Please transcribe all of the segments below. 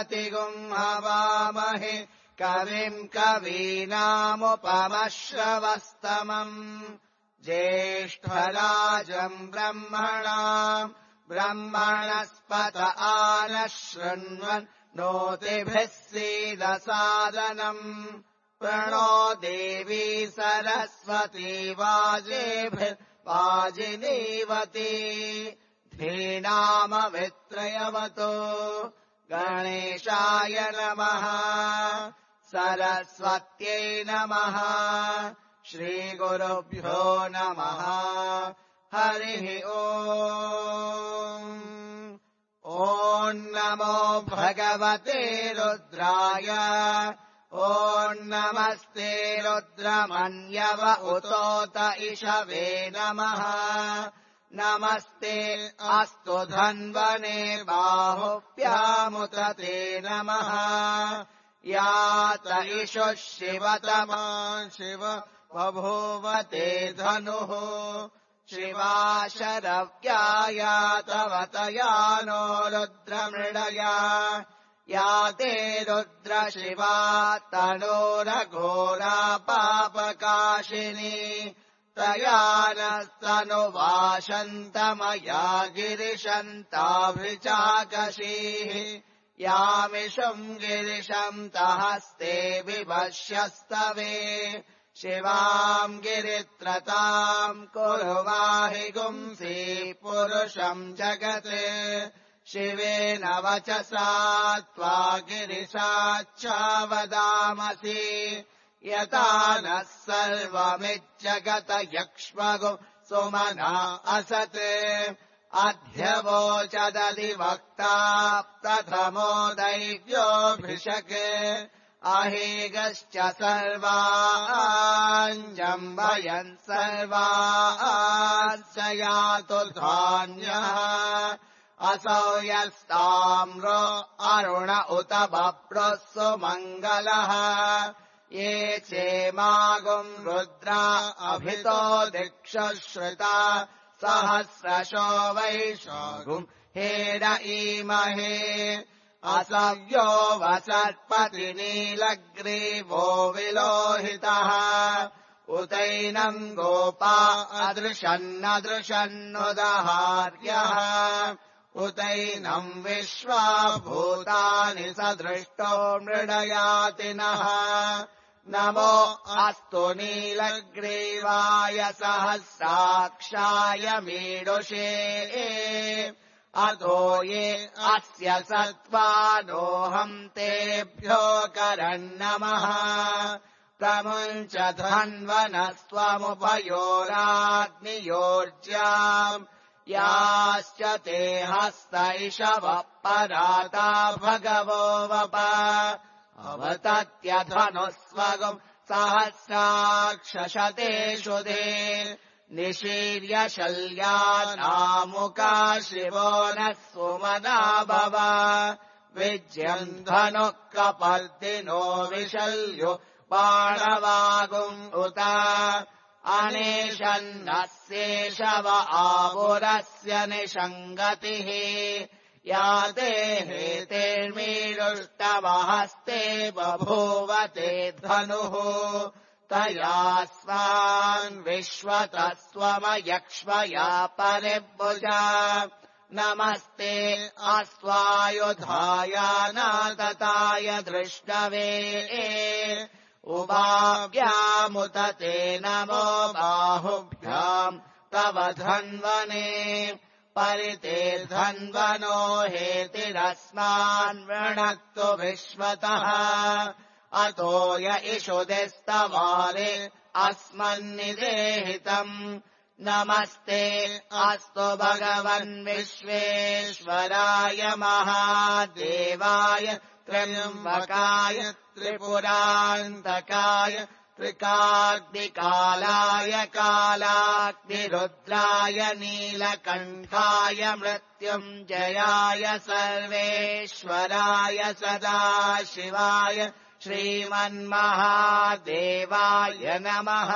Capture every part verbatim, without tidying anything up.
प्रतिगुम् हवामहे कविम् कवीनामुपमश्रवस्तमम् ज्येष्ठराजम् ब्रह्मणाम् ब्रह्मणस्पत आनः शृण्वन् नोतिभिः सीदसादनम् प्रणो देवी सरस्वती वाजेभिर्वाजिनीवती धीनामवित्रयवतो गणेशाय नमः सरस्वत्यै नमः श्रीगुरुभ्यो नमः हरिः ओम् ॐ नमो भगवते रुद्राय ॐ नमस्ते रुद्रमन्यव उतोत इषवे नमः नमस्ते अस्तु धन्वने बाहुभ्यामुत ते नमः यात इषुः शिवतमा शिव बभूवते धनुः शिवा शरव्यायातवतया नो रुद्रमृडया या ते रुद्रशिवा तनोरघोरा पापकाशिनी तया नस्तनुवाशन्तमया गिरिशन्ताभिचाकशीः यामिषुम् गिरिशम् तहस्ते विभष्यस्तवे शिवाम् गिरित्रताम् कुरु वाहि गुंसि पुरुषम् जगत् शिवेन वचसा त्वा गिरिशाच्छावदामसि यथा नः सर्वमिज्जगत यक्ष्मगु सुमना असत् अध्यवोचदधिवक्ता प्रथमो दैव्योऽभिषक् अहेगश्च सर्वाञ्जम्भयन् सर्वाश्च यातु धान्यः असौ यस्ताम्रो अरुण उत बभ्रुः सुमङ्गलः ये चेमागुम् रुद्रा अभितो दिक्षुश्रुता सहस्रशो वैशागुम् हेड ईमहे असव्यो वसत्पतिनीलग्रीवो विलोहितः उतैनम् गोपा अदृशन्नदृशन्नुदहार्यः उतैनम् विश्वा भूतानि सदृष्टो मृडयातिनः नमो अस्तु नीलग्रीवाय सहस्राक्षाय मीडुषे अतो ये अस्य सत्त्वानोऽहम् तेभ्यो करन्नमः प्रमुञ्च धन्वनस्त्वमुपयोराग्नियोर्ज्याम् याश्च ते हस्तैषवः पराता भगवो वप अवतत्यधनुस्वगुम् सहस्राक्षशतेषु दे निशीर्य शल्यानामुका शिवो नः सुमना भव विज्यम् धनुः कपर्दिनो विशल्यो बाणवागुम् उत अनेशन्नस्येषव आपुरस्य निषङ्गतिः या ते हेतेर्मीडुष्टमहस्ते बभूवते धनुः तया स्वान् विश्वतः स्वमयक्ष्मया परिभुजा नमस्ते अस्वायुधायानातताय दृष्टवे उभाभ्यामुत ते नमो बाहुभ्याम् तव धन्वने परिते धन्वनो हेतिरस्मान् वृणक्तु विश्वतः अतो य इषुदिस्तवारे अस्मन्निदेहितम् नमस्ते अस्तु भगवन् विश्वेश्वराय महादेवाय त्र्यम्बकाय त्रिपुरान्तकाय त्रिकाग्निकालाय कालाग्निरुद्राय नीलकण्ठाय मृत्युञ्जयाय सर्वेश्वराय सदाशिवाय श्रीमन्महादेवाय नमः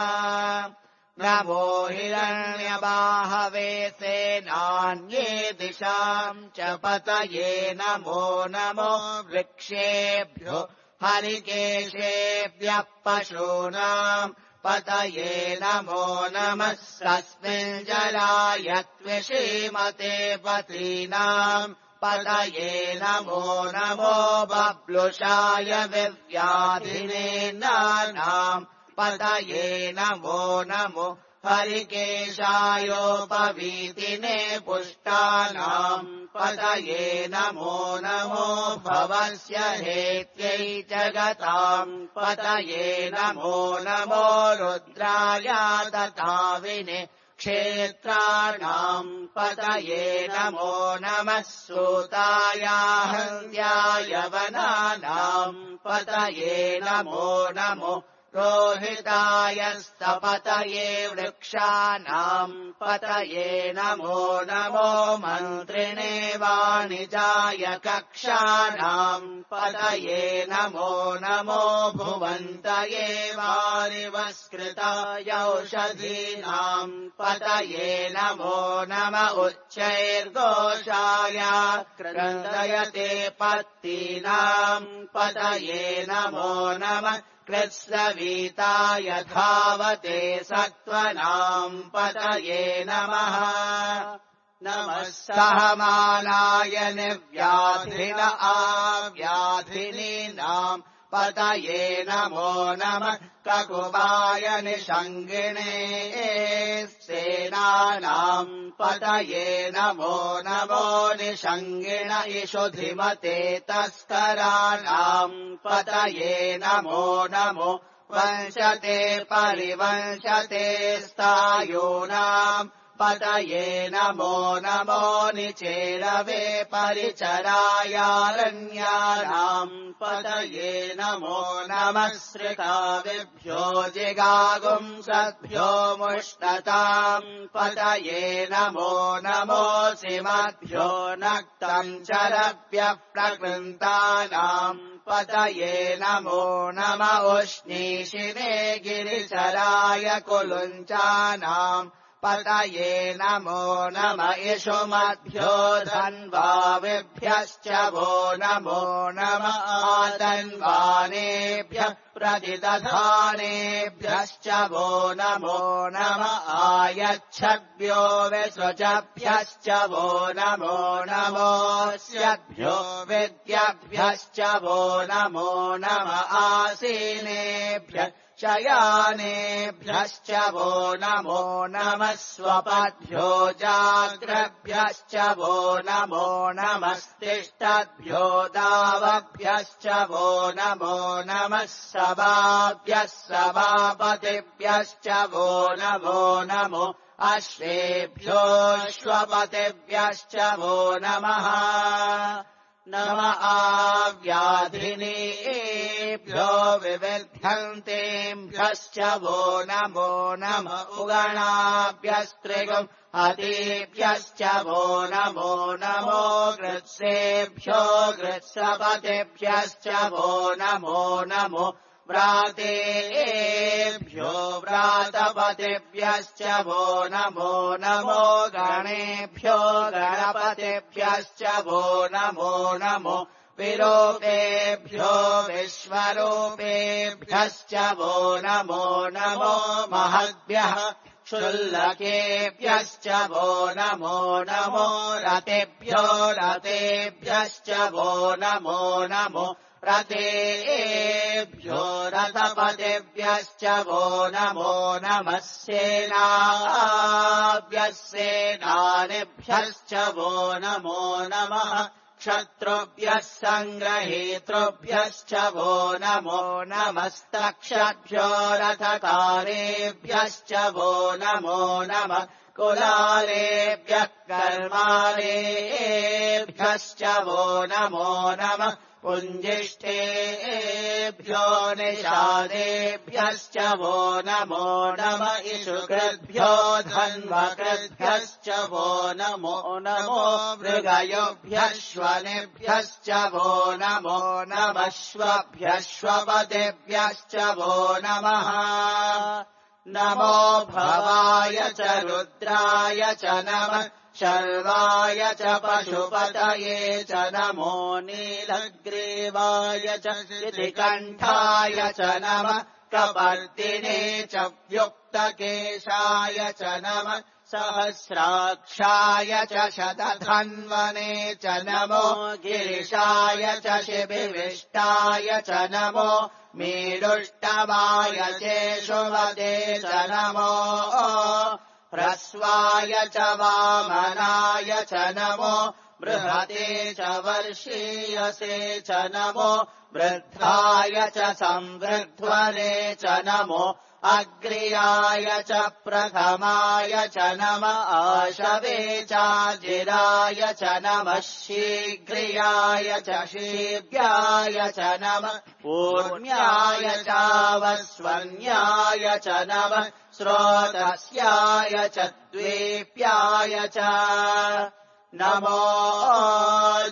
नमो हिरण्यबाहवे सेनान्ये दिशाम् च पतये नमो नमो वृक्षेभ्यो हरिकेशेभ्यः पशूनाम् पतये नमो नमः तस्मिन् जलाय त्विषीमते पतीनाम् पतये नमो नमो बब्लुषाय विव्याधिने नानाम् पतये नमो नमो हरिकेशायोपवीतिने पुष्टानाम् पतये नमो नमो भवस्य हेत्यै जगताम् पतये नमो नमो रुद्राय तथाविने क्षेत्राणाम् पतये नमो नमः सूताय हन्त्याय वनानाम् पतये नमो नमो रोहिताय स्तपतये वृक्षाणाम् पतये नमो नमो मन्त्रिणे वाणिजाय कक्षाणाम् पतये नमो नमो भुवन्तये वारिवस्कृताय औषधीनाम् पतये नमो नम उच्चैर्घोषाय क्रन्दयते पत्तीनाम् पतये नमो नमः कृत्स्नवीताय धावते सत्त्वनाम् पतये नमः नमः सहमानाय निर्व्याधिन आव्याधिनीनाम् पतये नमो नमः ककुबाय निषङ्गिणे सेनानाम् पतये नमो नमो निषङ्गिण इषुधिमते तस्कराणाम् पतये नमो नमो वंशते परिवंशते स्थायूनाम् पतये नमो नमो निचेरवे परिचरायारण्यानाम् पतये नमो नमः श्रिताविभ्यो जिगागुंसद्भ्यो मुष्टताम् पतये नमो नमो सिमद्भ्यो नक्तम् चरभ्यः प्रकृन्तानाम् पतये नमो नम उष्णीषिणे गिरिचराय कुलुञ्चानाम् पतये नमो नम इषुमद्भ्यो धन्वाविभ्यश्च वो नमो नम आतन्वानेभ्यः प्रतिदधानेभ्यश्च वो नमो नम आयच्छद्भ्यो विसृजभ्यश्च वो नमो नमोऽस्यद्भ्यो विद्याभ्यश्च वो नमो नम आसीनेभ्यः शयानेभ्यश्च वो नमो नमः स्वपद्भ्यो जाग्रभ्यश्च वो नमो नमस्तिष्ठद्भ्यो दावभ्यश्च वो नमो नमः सभाभ्यः सभापतिभ्यश्च वो नमो नमो अश्वेभ्योऽश्वपतिभ्यश्च वो नमः नम आव्याधिनीभ्यो विविध्यन्तेभ्यश्च वो नमो नम उगणाभ्यस्त्रिगम् अतीभ्यश्च वो नमो नमो गृत्सेभ्यो गृत्सपतिभ्यश्च वो नमो नमो व्रातेभ्यो व्रातपतिभ्यश्च वो नमो नमो गणेभ्यो गणपतिभ्यश्च वो नमो नमो विरूपेभ्यो विश्वरूपेभ्यश्च वो नमो नमो महद्भ्यः क्षुल्लकेभ्यश्च वो नमो नमो रतेभ्यो रतेभ्यश्च वो नमो नमो रतेभ्यो रथपतिभ्यश्च वो नमो नमः सेनाभ्यः सेनानिभ्यश्च वो नमो नमः क्षत्रुभ्यः सङ्ग्रहेतृभ्यश्च वो नमो नमस्तक्षभ्यो रथकारेभ्यश्च वो नमो नमः कुलालेभ्यः कर्मालेभ्यश्च वो नमो नमः पुञ्जिष्ठेभ्यो निषादेभ्यश्च वो नमो नम इषुकृद्भ्यो धन्वकृद्भ्यश्च वो नमो नमो मृगयोभ्यश्वनेभ्यश्च वो नमो नमः श्वभ्यश्वपतिभ्यश्च वो नमः नमो भवाय च रुद्राय च नमः शर्वाय च पशुपतये च नमो नीलग्रीवाय च शितिकण्ठाय च नमः कपर्दिने च व्युक्तकेशाय च नमः सहस्राक्षाय च शतधन्वने च नमो गिरिशाय च शिबिविष्टाय च नमो मीडुष्टवाय चेशुवदे च नमो ह्रस्वाय च वामनाय च नमो बृहते च वर्षीयसे च नमो वृद्धाय च संवृध्वने च नमो अग्र्याय च प्रथमाय च नमः आशवे चाजिराय च नमः शीघ्रियाय च शीघ्राय च नमः ऊर्म्याय चावस्वन्याय च नमः स्रोतस्याय च द्वीप्याय च नमो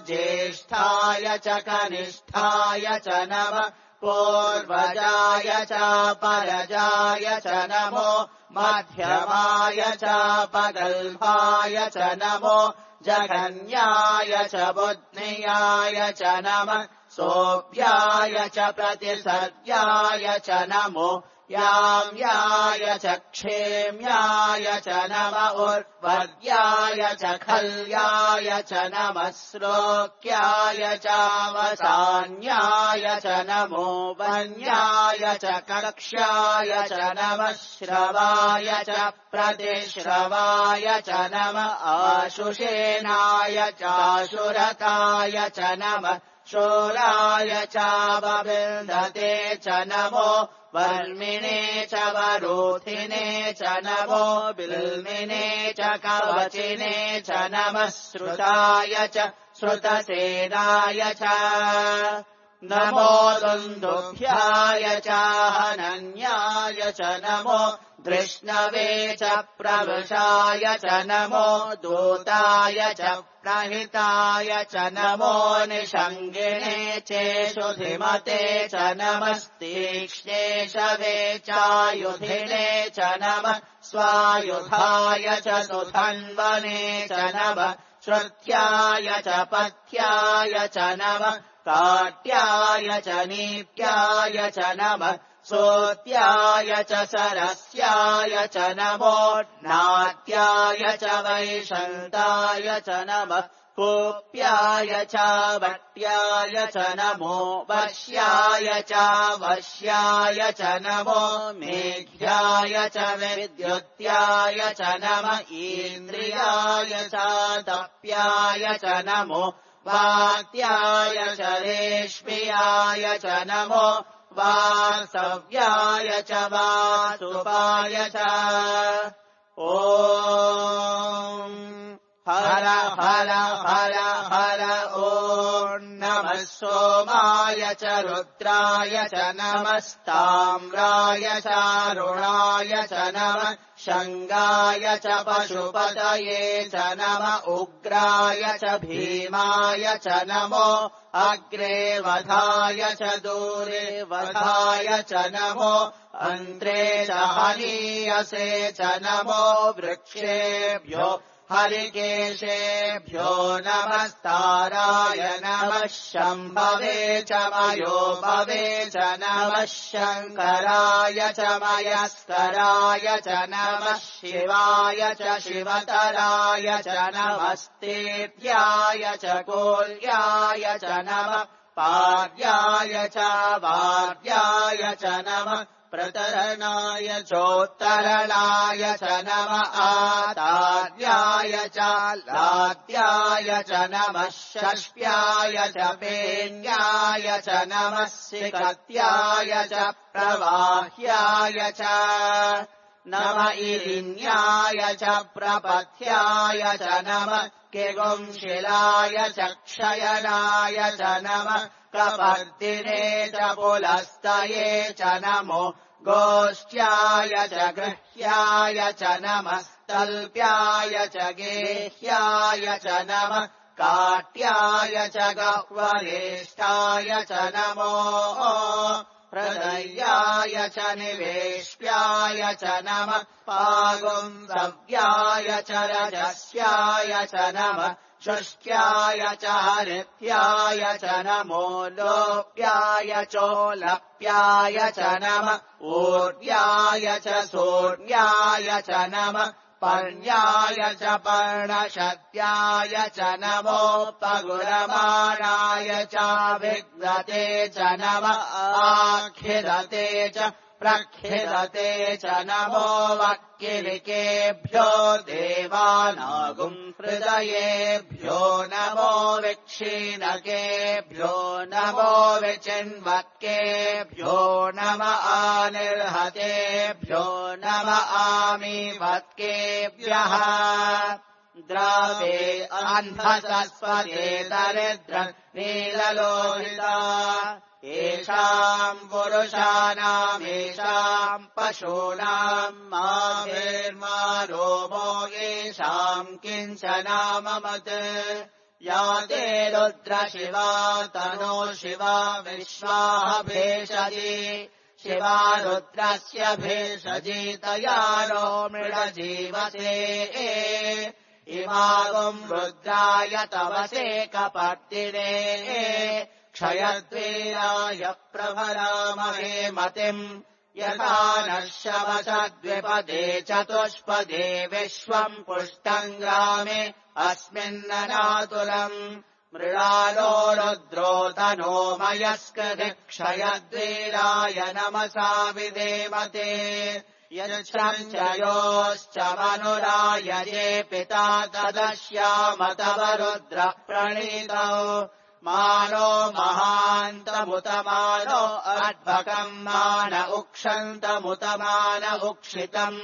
ज्येष्ठाय च कनिष्ठाय च नमः पूर्वजाय च परजाय च नमो मध्यमाय च पगल्भाय च नमो जघन्याय च बुद्ध्याय च नमः सोऽप्याय च प्रतिसर्याय च नमो याम्याय च क्षेम्याय च नमः उर्वर्याय च खल्याय च नमः श्लोक्याय चावसान्याय च नमो वन्याय च कक्ष्याय च नमः श्रवाय च प्रतिश्रवाय च नमः आशुषेणाय चाशुरताय च नमः शूराय चावविन्दते च नमो वर्मिणे च वरोधिने च नमो बिल्मिने च कवचिने च नमः श्रुताय च श्रुतसेनाय च नमो दुन्दुभ्याय च हनन्याय च नमो धृष्णवे च प्रवृषाय च नमो दूताय च प्रहिताय च नमो निषङ्गिणे चेषुधिमते च नमस्तीक्ष्णेशवे चायुधिने च नमः स्वायुधाय च सुधन्वने च नमः श्रुत्याय च पथ्याय च नमः काट्याय च नीत्याय च नमः सोत्याय च सरस्याय च नमो नाट्याय च वैशन्ताय च नमः कोप्याय च वट्याय च नमो वश्याय च वश्याय च नमो मेघ्याय च विद्युत्याय च नमः इन्द्रियाय च तप्याय च नमो वात्याय च रेश्म्याय च नमो वासव्याय च वासुपाय च ॐ हर हर हर हर ॐ नमः सोमाय च रुद्राय च नमस्ताम्राय च अरुणाय च नमः शङ्गाय च पशुपतये च नमः उग्राय च भीमाय च नमो अग्रे वधाय च दूरे वधाय च नमो अन्त्रे च हनीयसे च नमो वृक्षेभ्यो हरिकेशेभ्यो नमस्ताराय नमः शम्भवे च मयोभवे च नमः शङ्कराय च मयस्कराय च नमः शिवाय च शिवतराय च नमस्तेभ्याय च कोल्याय च नमः पार्याय च वार्याय च नमः प्रतरणाय चोत्तरणाय च नमः आतार्याय च लाद्याय च नमः षष्प्याय च पेन्याय च नमः सिकत्याय च प्रवाह्याय च नमः इरिन्याय च प्रपथ्याय च नमः किगुंशिलाय च क्षयनाय च नमः कपर्दिने च पुलस्तये च नमो गोष्ठ्याय च गृह्याय च नमः तल्प्याय च गेह्याय च नमः काट्याय च गह्वरेष्ठाय च नमो प्रदय्याय च निवेश्याय च नमः पागुंसव्याय च रजस्याय च नमः शुष्क्याय च हरित्याय च नमो लोप्याय चोलप्याय च नमः ऊर्व्याय च सूर्याय च नमः पर्ण्याय च पर्णशत्याय च नमोपगुरमाणाय च विघ्नते च नमः आखिलते च प्रखिलते च नमो वक्किलिकेभ्यो देवानागुं हृदयेभ्यो नमो विक्षीणकेभ्यो नमो विचिन्वत्केभ्यो नम आनिर्हतेभ्यो नम आमीवत्केभ्यः द्रावे अन्धसस्वते दरिद्र नीललोहिता येषाम् पुरुषाणामेषाम् पशूनाम् माभिर्मा रोमो येषाम् किञ्चनाममत् या ते रुद्रशिवा तनो शिवा विश्वाः भेषजी शिवा रुद्रस्य भेषजी तया नो मृडजीवसे इमागुम् रुद्राय तवसे कपर्दिने क्षयद्वीराय प्रभरामहे मतिम् यथा नः शवसद्विपदे चतुष्पदे विश्वम् पुष्टम् ग्रामे अस्मिन्ननातुलम् मृणालो रुद्रो तनो मयस्कृति क्षयद्वीराय नमसा विदेमते यच्छम् च योश्च मनुराय ये पिता तदश्याम तव रुद्र प्रणीतौ मानो महान्तमुतमानो अद्भकम् मान उक्षन्तमुतमान उक्षितम्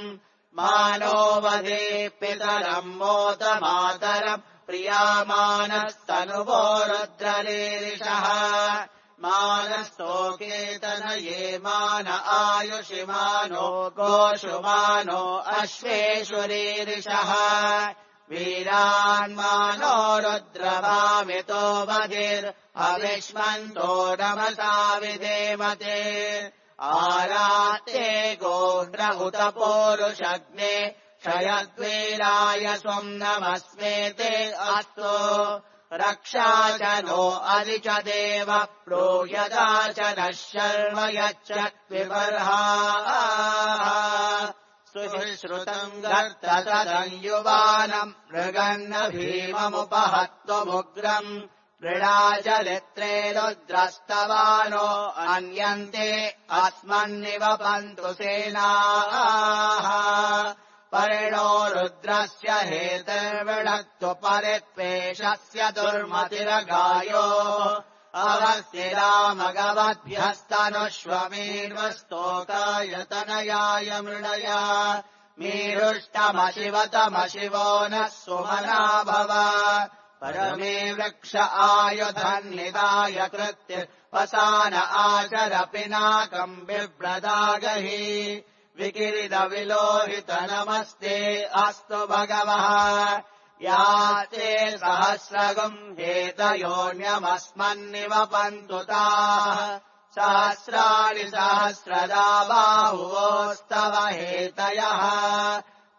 मानो वदे पितरम् मोदमातरम् प्रियामानस्तनुवो रुद्ररीरिषः मानस्तोकेतनये मान आयुषिमानो गोषुमानो अश्वेषुरीरिषः वीरान्मानो रुद्रभामितो वधिर् अविष्मन्तो नमसा विदेमते आराते गोन्द्र उत पोरुषग्ने क्षयद्वीराय स्वम् नमस्मेते अस्तु रक्षा च नो अधि च देव प्रोयदा च नः शर्म यच्च विबर्हा सुश्रुतम् गर्ततदम् मृगन्न भीममुपहत्वमुग्रम् मृडाचलित्रे रुद्रस्तवानो अन्यन्ते अस्मन्निवपन्तु सेनाः परिणो रुद्रस्य हेतुर्विणक्तु परित्वेषस्य दुर्मतिरगायो अवस्तिरामगवद्भ्यस्तनुष्वमीर्वस्तोकाय मृणया मीरुष्टमशिवतमशिवो नः सुमना भव परमे वृक्ष आयुधन्निदाय कृत्य वसान आचर पिनाकम् बिभ्रदागहि विकिरिदविलोहित नमस्ते अस्तु भगवः याते सहस्रगुम् हेतयोन्यमस्मन्निवपन्तु ताः सहस्राणि सहस्रदा बाहुवोस्तव हेतयः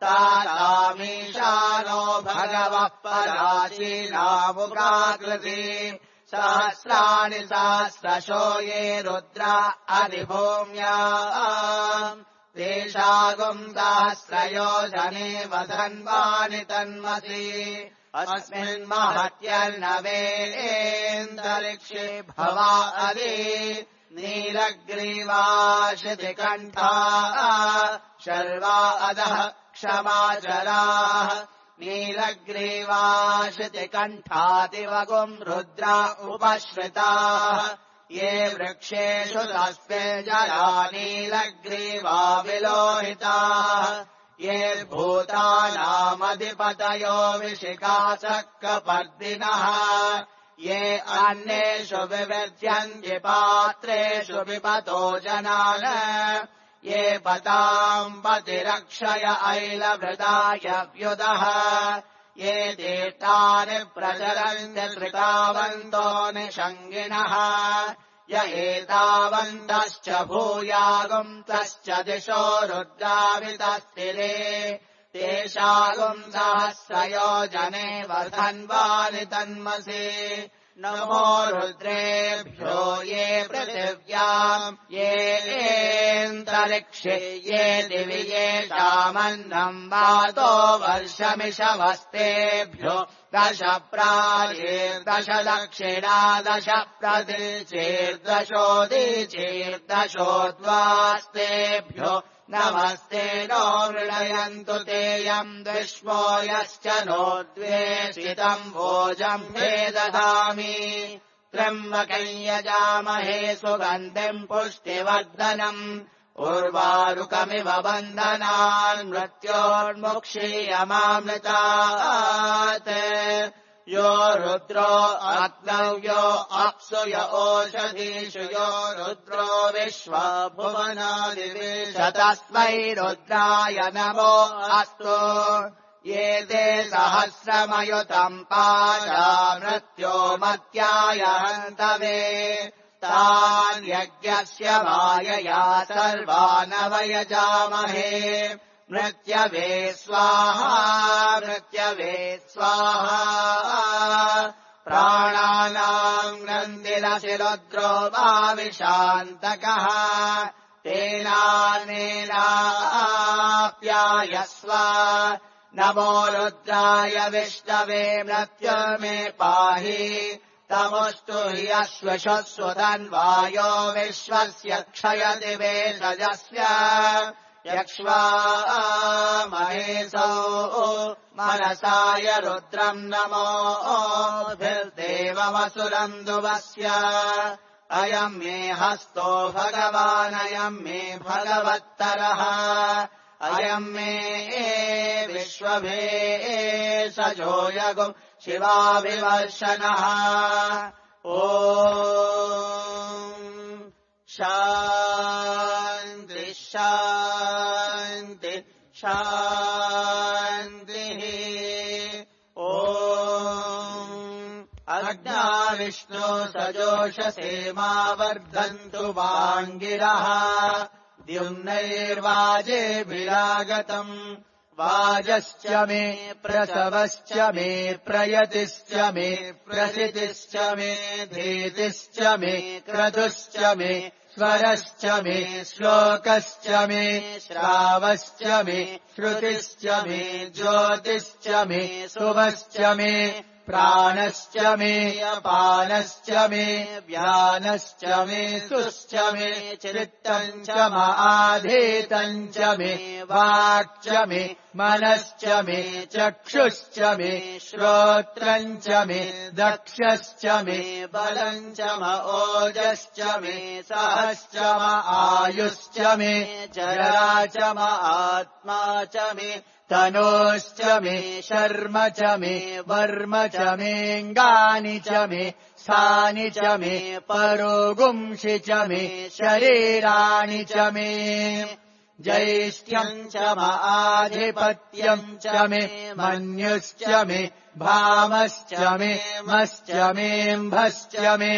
तामीशानो भगवः पराचीनामुकाकृति सहस्राणि सहस्रशो ये रुद्रा अधिभूम्या तेषागुम् सहस्रयोजने वधन्वानि तन्मसि अस्मिन्महत्यर्णवेन्दरिक्षे भवा अदि नीलग्रीवाशितिकण्ठा शर्वा अधः क्षमाचराः नीलग्रीवाशितिकण्ठादिवगुम् रुद्रा उपश्रिताः ये वृक्षेषु तस्मे जरा नीलग्रीवा विलोहिताः ये भूतानामधिपतयो विशिखाचक्रपर्दिनः ये अन्येषु विविध्यन्ति पात्रेषु विपतो जनान् ये पताम् पतिरक्षय ऐलभृताय व्युदः ये देष्टानि प्रचरन्ति कृतावन्तो निषङ्गिणः य एतावन्तश्च भूयागुंसश्च दिशो रुद्रावितस्तिरे तेषागुम् सहस्रयोजने वर्धन्वानि तन्मसि नमो रुद्रेभ्यो ये पृथिव्याम् ये एन्तरिक्षे ये दिवि येषामन्नम् वातो वर्षमिषवस्तेभ्यो दश प्राचीर्दश दक्षिणा दश प्रतीचीर्दशोदीचीर्दशोद्वास्तेभ्यो नमस्ते नो मृणयन्तु तेयम् विश्वो यश्च नो द्वेषितम् भोजम् मे दधामि त्र्यम्बकम् यजामहे सुगन्धिम् पुष्टिवर्धनम् उर्वारुकमिव बन्धनान् मृत्योर्मुक्षीयमामृतात् यो रुद्रो अग्नौ यो अप्सु य ओषधीषु यो रुद्रो विश्वभुवनादिवेशतस्मै रुद्राय नमो अस्तु ये ते सहस्रमयुतम् पाशा मृत्यो मत्याय हन्तवे तान् यज्ञस्य मायया सर्वानवयजामहे मृत्यवे स्वाहा मृत्यवे स्वाहा प्राणानाम् नन्दिरसि रुद्रो वाविशान्तकः तेनानेनाप्यायस्व नमो रुद्राय विष्णवे मृत्युर्मे पाहि तमुस्तु हि अश्वशस्वतन्वायो विश्वस्य क्षयति वेषजस्य यक्ष्वा महेशो मनसाय रुद्रम् नमोभिर्देवमसुरम् दुवस्य अयम् मे हस्तो भगवानयम् मे भगवत्तरः अयम् मे विश्वभेषजो यगुम् शिवाभिवर्षणः ॐ शान्ति शान्ति शान्तिः ॐ अग्ना विष्णो सजोषसे मा वर्धन्तु वाङ्गिरः द्युम्नैर्वाजेभिरागतम् वाजश्च मे प्रसवश्च मे प्रयतिश्च मे प्रसितिश्च मे धीतिश्च मे क्रतुश्च मे स्वरश्च मे श्लोकश्च मे श्रावश्च मे श्रुतिश्च मे ज्योतिश्च मे शुभश्च मे प्राणश्च मे अपानश्च मे व्यानश्च मे सुश्च मे चित्तम् च माधीतम् च मे वाक् मे मनश्च मे चक्षुश्च मे श्रोत्रम् च मे दक्षश्च मे बलम् च म ओजश्च मे सहश्च म आयुश्च मे जरा च म आत्मा च मे तनोश्च मे शर्म च मे वर्म च मेऽङ्गानि च मे स्थानि च मे परोगुंषि च मे शरीराणि च मे ज्यैष्ठ्यम् च म आधिपत्यम् च मे मन्युश्च मे भामश्च मे मश्च मेऽम्भश्च मे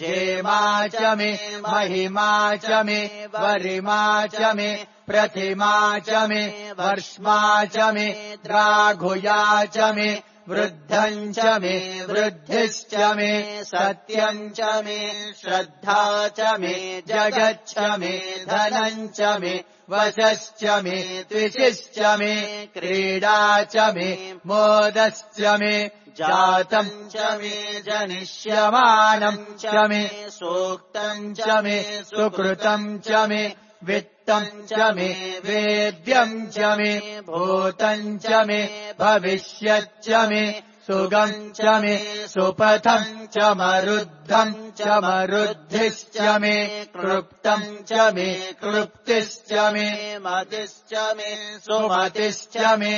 जेमा च मे महिमा च मे वरिमा च मे प्रतिमा च मे वर्ष्मा च मे द्राघुया च मे वृद्धम् च मे वृद्धिश्च मे सत्यम् च मे श्रद्धा च मे जगच्च मे धनम् च मे वशश्च मे त्विषिश्च मे क्रीडा च मे मोदश्च मे जातम् च मे जनिष्यमानम् च मे सूक्तम् च मे सुकृतम् च मे वित्तम् च मे वेद्यम् च मे भूतम् च मे भविष्यच्च मे सुगम् च मे सुपथम् च मरुद्धम् च मरुद्धिश्च मे क्लृप्तम् च मे क्लृप्तिश्च मे मतिश्च मे सुमतिश्च मे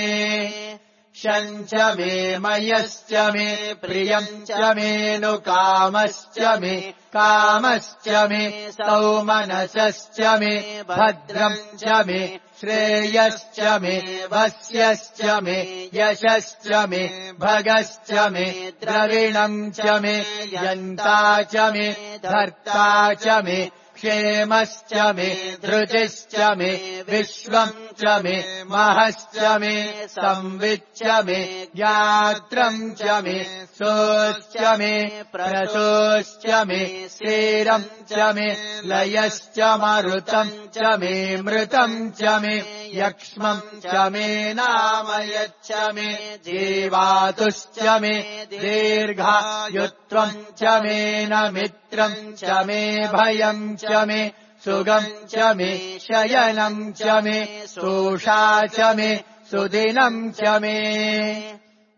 शम् च मे मयश्च मे प्रियम् च मेऽनुकामश्च मे कामश्च मे सौमनसश्च मे भद्रम् च मे श्रेयश्च मे वस्यश्च मे यशश्च मे भगश्च मे द्रविणम् च मे यन्ता च मे धर्ता च मे क्षेमश्च मे धृतिश्च मे विश्वम् च मे महश्च मे संविच्च मे ज्ञात्रम् च मे सोश्च मे प्रसोश्च मे स्थिरम् च मे लयश्च मरुतम् च मे मृतम् च मे यक्ष्मम् च मे नामयच्च मे जीवातुश्च मे दीर्घायुत्वम् च मे न मित्रम् च मे भयम् च मे सुगम् च मे शयनम् च मे सोषा च मे सुदिनम् च मे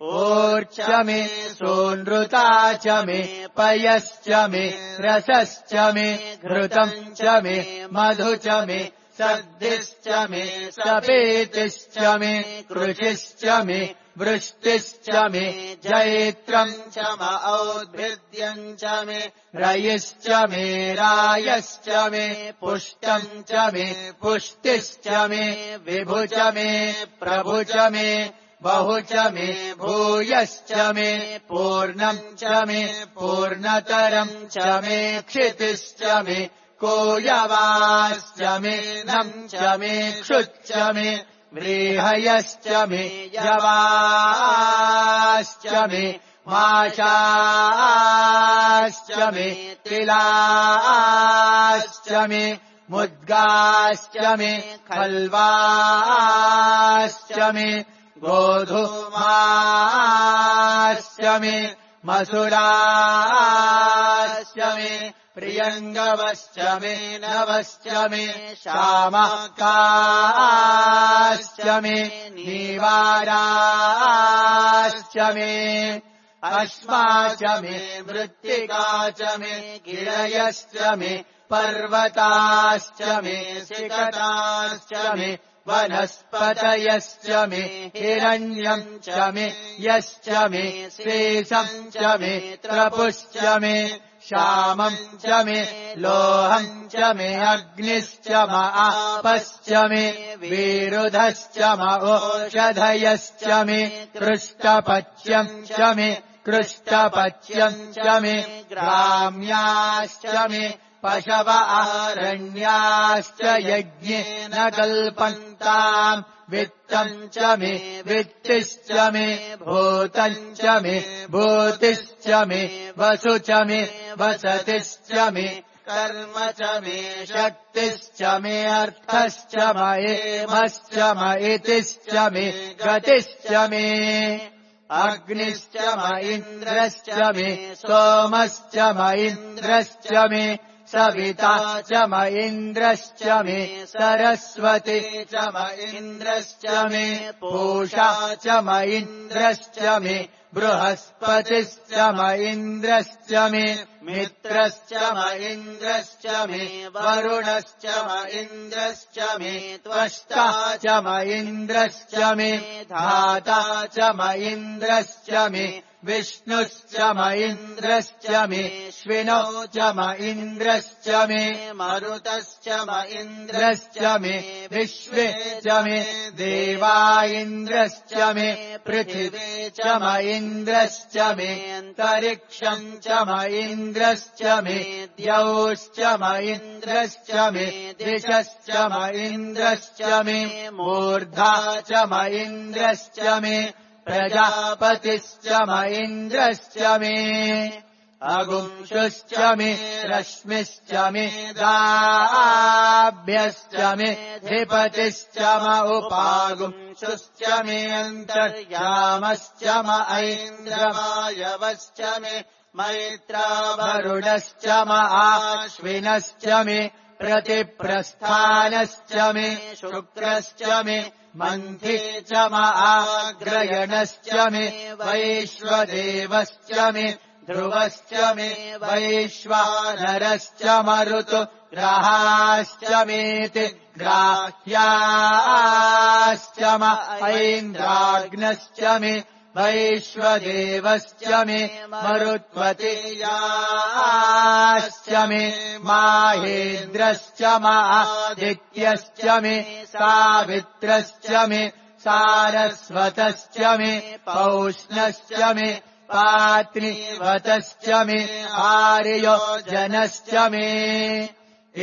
ओर्च मे सोनृता च मे पयश्च मे रसश्च मे घृतम् च मे मधु च मे सर्दिश्च मे सपेतिश्च मे कृषिश्च मे वृष्टिश्च मे जैत्रम् च म औद्भिद्यम् च मे रयिश्च मे रायश्च मे पुष्टम् च मे पुष्टिश्च मे विभु च मे प्रभु च मे बहु च मे भूयश्च मे पूर्णम् च मे पूर्णतरम् च मे क्षितिश्च मे कोयवाश्च मे नम् च मे क्षुच्च मे व्रीहयश्च मे यवाश्च मे माशाश्च मे तिलाश्च मे मुद्गाश्च मे खल्वाश्च मे गोधूमाश्च मे मसुराश्च मे प्रियङ्गवश्च मे नवश्च मे शामकाश्च मे नीवाराश्च मे अश्मा च मे मृत्तिका च मे गिरयश्च मे पर्वताश्च मे सिकताश्च मे वनस्पतयश्च मे हिरण्यम् च मे यश्च मे शेषम् च मे त्रपुश्च मे श्यामम् च मे लोहम् च मे अग्निश्च म आपश्च मे विरुधश्च म ओषधयश्च मे कृष्टपच्यम् च मे कृष्टपच्यम् च मे ग्राम्याश्च मे पशव आरण्याश्च यज्ञेन कल्पन्ताम् वित्तम् च मे वित्तिश्च मे भूतम् च मे भूतिश्च मे वसु च मे वसतिश्च मे कर्म च मे शक्तिश्च मे अर्थश्च मयेमश्च मयितिश्च मे गतिश्च मे अग्निश्च म इन्द्रश्च मे सोमश्च म इन्द्रश्च मे सविता च म इन्द्रश्च मे सरस्वती च म इन्द्रश्च मे पूषा च म इन्द्रश्च मे बृहस्पतिश्च म इन्द्रश्च मे मित्रश्च म इन्द्रश्च मे वरुणश्च म इन्द्रश्च मे त्वष्टा च म इन्द्रश्च मे धाता च म इन्द्रश्च मे विष्णुश्च म इन्द्रश्च मे श्विनौ च म इन्द्रश्च मे मरुतश्च म इन्द्रश्च मे विश्वे च मे देवा इन्द्रश्च मे पृथिवी च म इन्द्रश्च मे अन्तरिक्षम् च म इन्द्रश्च मे द्यौश्च म इन्द्रश्च मे दिशश्च म इन्द्रश्च मे मूर्धा च म इन्द्रश्च मे प्रजापतिश्च म इन्द्रश्च मे अगुंशुश्च मे रश्मिश्च मे दाभ्यश्च मे धिपतिश्च म उपागुंशुश्च मे अन्तर्यामश्च म ऐन्द्रवायवश्च मे मैत्रावरुणश्च म आश्विनश्च मे प्रतिप्रस्थानश्च मे शुक्रश्च मे मन्थी च म आग्रयणश्च मे वैश्वदेवश्च मे ध्रुवश्च मे वैश्वानरश्च मरुतु ग्रहाश्च मेति ग्राह्याश्च म ऐन्द्राग्नश्च मे वैश्वदेवश्च मे मरुत्वतीयाश्च मे माहेन्द्रश्च म आदित्यश्च मे सावित्रश्च मे सारस्वतश्च मे पौष्णश्च मे पात्नि वतश्च मे आर्यो जनश्च मे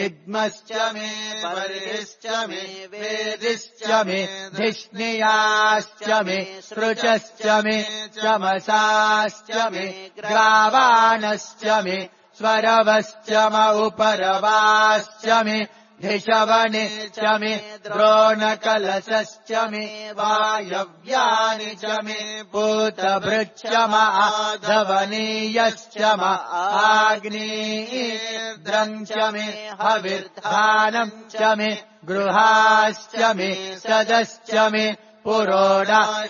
इद्मश्च मे बर्हिश्च मे वेदिश्च मे धिष्णियाश्च मे सृचश्च मे चमसाश्च मे ग्रावाणश्च मे स्वरवश्च म उपरवाश्च मे धिषवने च मे द्रोणकलशश्च मे वायव्यानि च मे पूतभृच्च म आधवनीयश्च म आग्नेयेर्द्रम् च मे हविर्धानम् च मे गृहाश्च मे सदश्च मे पुरोडाशाश्च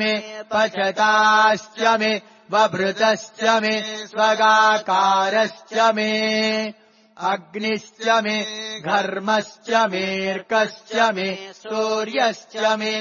मे पचताश्च मे वभृतश्च मे स्वगाकारश्च मे अग्निश्च मे घर्मश्च मेऽर्कश्च मे सूर्यश्च मे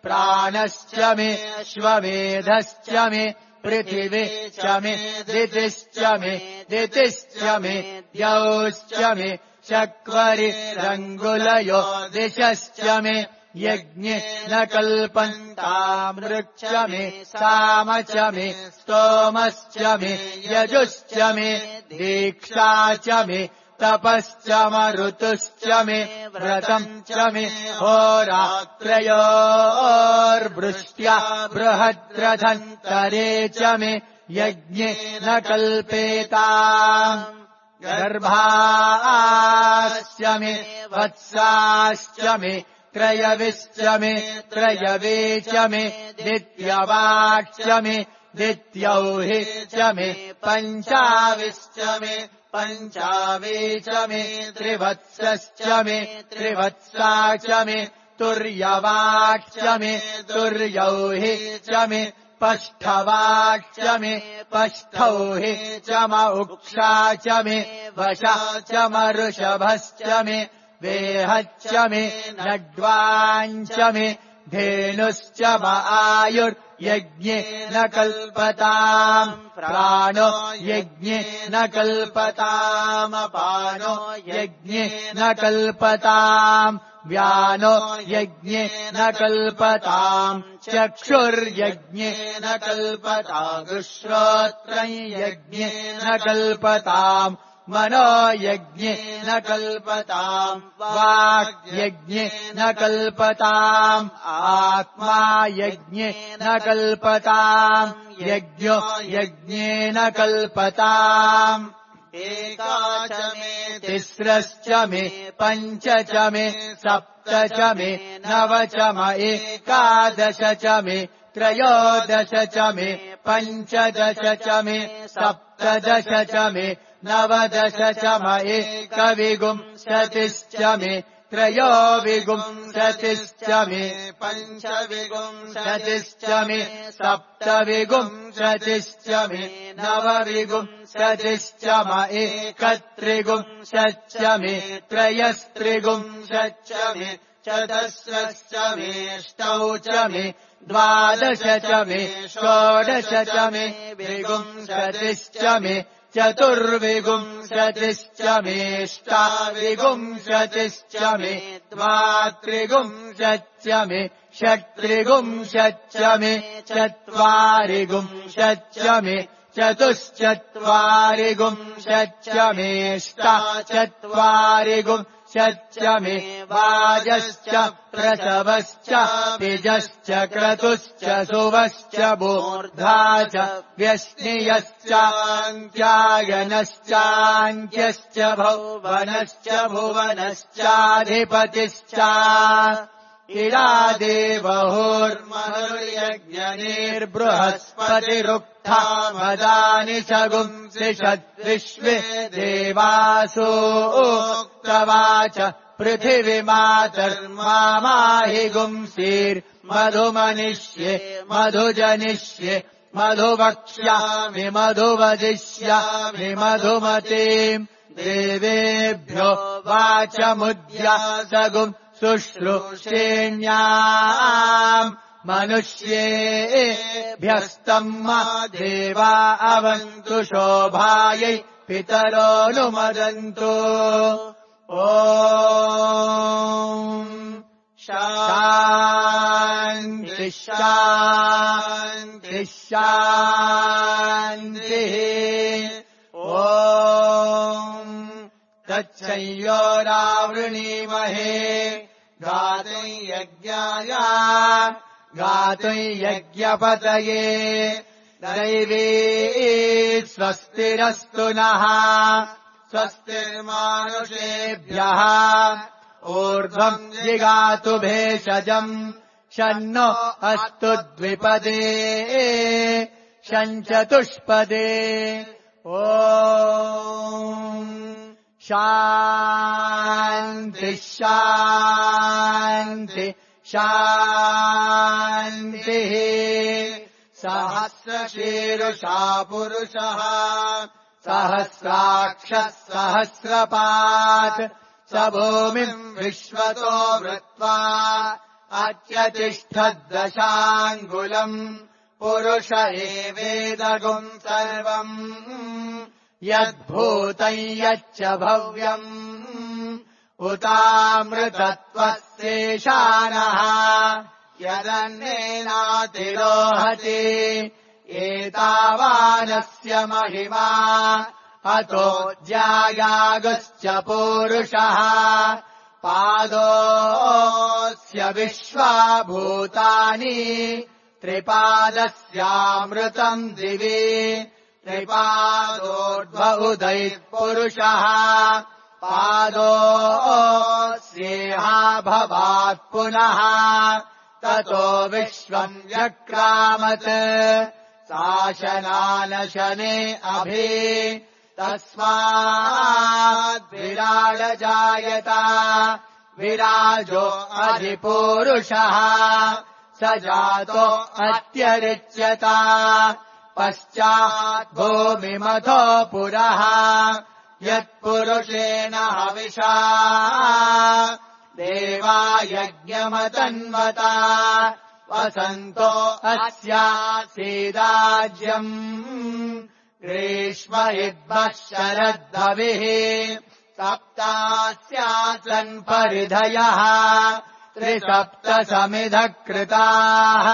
प्राणश्च मे श्वमेधश्च मे पृथिवी च मे दितिश्च मे दितिश्च मे द्यौश्च मे शक्वरिरङ्गुलयो दिशश्च मे यज्ञे न कल्पन्तामृक्ष मे साम च मे स्तोमश्च मे यजुश्च मे दीक्षा च मे तपश्च मरुतुश्च मे व्रतम् च मे होरात्रयोर्वृष्ट्या बृहद्रथन्तरे च मे यज्ञे न कल्पेताम् गर्भाश्च मे वत्साश्च मे त्रयविश्च मे त्रयवे च मे दित्यवाक्ष मे दित्यौहि च मे पञ्चाविश्च मे पञ्चावे च मे त्रिवत्सश्च मे त्रिवत्सा च मे तुर्यवाक्ष मे तुर्यौहि च मे पष्ठवाक्ष मे पष्ठौहि च म उक्षा च मे वशा च मऋषभश्च मे वेहच्च मे नड्वाञ्च मे धेनुश्च म आयुर्यज्ञे न कल्पताम् प्राणो यज्ञे न कल्पतामपानो यज्ञे न कल्पताम् व्यानो यज्ञे न कल्पताम् चक्षुर्यज्ञे न कल्पताम् श्रोत्रम् यज्ञे न कल्पताम् मनो यज्ञे न कल्पताम् वाक्यज्ञे न कल्पताम् आत्मा यज्ञे न कल्पताम् यज्ञो यज्ञे न कल्पताम् एका च मे तिस्रश्च मे पञ्च च मे सप्त च मे नव च म एकादश च मे त्रयोदश च मे पञ्चदश च मे सप्तदश च मे नवदश च म एकविंशतिश्च मे त्रयोविंशतिश्च मे पञ्चविंशतिश्च मे सप्तविंशतिश्च मे नवविंशतिश्च म एकत्रिंशच्च मे त्रयस्त्रिंशच्च मे चतस्रश्च मेऽष्टौ च मे द्वादश च मे षोडश च मे विंशतिश्च मे चतुर्विंशतिश्च मेऽष्टाविंशतिश्च मे द्वात्रिंशच्च मे षट्त्रिंशच्च मे चत्वारिंशच्च मे चतुश्चत्वारिंशच्च मेऽष्टाचत्वारिंशच्च मे वाजश्च प्रसवश्च तिजश्च क्रतुश्च सुवश्च मूर्धा च व्यश्नियश्चान्त्यायनश्चान्त्यश्च भुवनश्च भुवनश्चाधिपतिश्च इरादेवहोर्महुर्यज्ञनिर्बृहस्पतिरुक्था मदानि सगुंसिषद्विश्वे देवासो उक्तवाच पृथिवीमातर्माहि गुंसीर्मधुमनिष्ये मधुजनिष्ये मधुवक्ष्यामि मधुवदिष्यामि मधुमतीम् देवेभ्यो वाचमुद्यासगुम् शुश्रूषेण्याम् मनुष्येभ्यस्तम् देवा अवन्तु शोभायै पितरोऽनुमदन्तु ॐ शान्ति शान्ति शान्तिः ॐ तच्छयोरावृणीमहे गातुं यज्ञाय गातुं यज्ञपतये दैवी स्वस्तिरस्तु नः स्वस्तिर्मानुषेभ्यः ऊर्ध्वम् जिगातु भेषजम् शन्नो अस्तु द्विपदे शञ्चतुष्पदे ॐ शान्ति शान्ति शान्तिः सहस्रशीर्षा पुरुषः सहस्राक्षः सहस्रपात् स भूमिम् विश्वतो वृत्वा अत्यतिष्ठद्दशाङ्गुलम् पुरुष एवेदगुम् सर्वम् यद्भूतम् यच्च भव्यम् उतामृतत्वस्येषानः यदन्नेनातिरोहति एतावानस्य महिमा अतो ज्यायागश्च पूरुषः पादोऽस्य विश्वाभूतानि त्रिपादस्यामृतम् दिवि त्रिपादोर्ध्व उदैः पादोऽस्येहा भवात् पुनः ततो विश्वम् व्यक्रामत् शासनानशने अभि तस्माद्विराडजायत विराजो अधिपूरुषः स जातो अत्यरिच्यत पश्चात् भूमिमथो पुरः यत्पुरुषेण हविषा देवा यज्ञमतन्वता वसन्तो अस्यासीदाज्यम् ग्रीष्म इद्मः शरद्धविः सप्तास्यासन् परिधयः त्रिसप्तसमिधः कृताः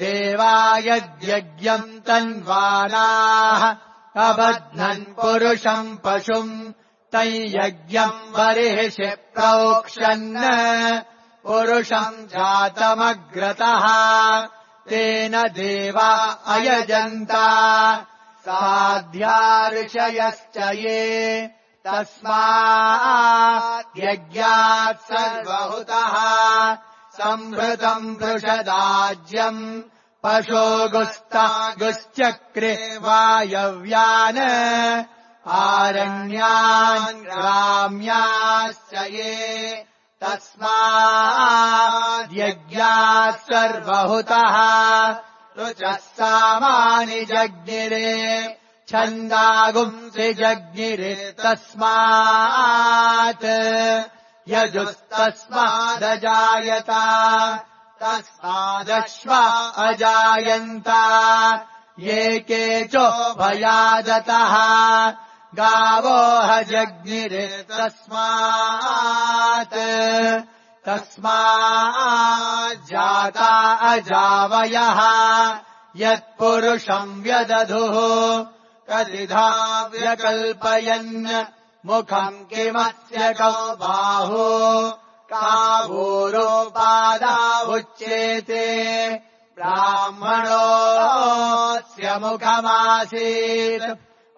देवा यद्यज्ञम् तन्वानाः अबध्नन् पुरुषम् पशुम् तैयज्ञम् बर्हिषि प्रोक्षन् पुरुषम् जातमग्रतः तेन देवा अयजन्त साध्या ऋषयश्च ये तस्मात् यज्ञात् सर्वहुतः संहृतम् वृषदाज्यम् पशो गुस्ता गुश्चक्रे वायव्यान् आरण्यान् ग्राम्याश्च ये तस्मात् यज्ञात् सर्वहुतः ऋचः सामानि जज्ञिरे छन्दागुंसि जज्ञिरे तस्मात् यजुस्तस्मादजायत तस्मादश्वा अजायन्त ये केचोभयादतः गावो हजज्ञिरे तस्मात् तस्माज्जाता अजावयः यत्पुरुषम् व्यदधुः कतिधा व्यकल्पयन् मुखम् किमस्य कौ बाहु कावूरोपादा उच्येते ब्राह्मणोऽस्य मुखमासीत्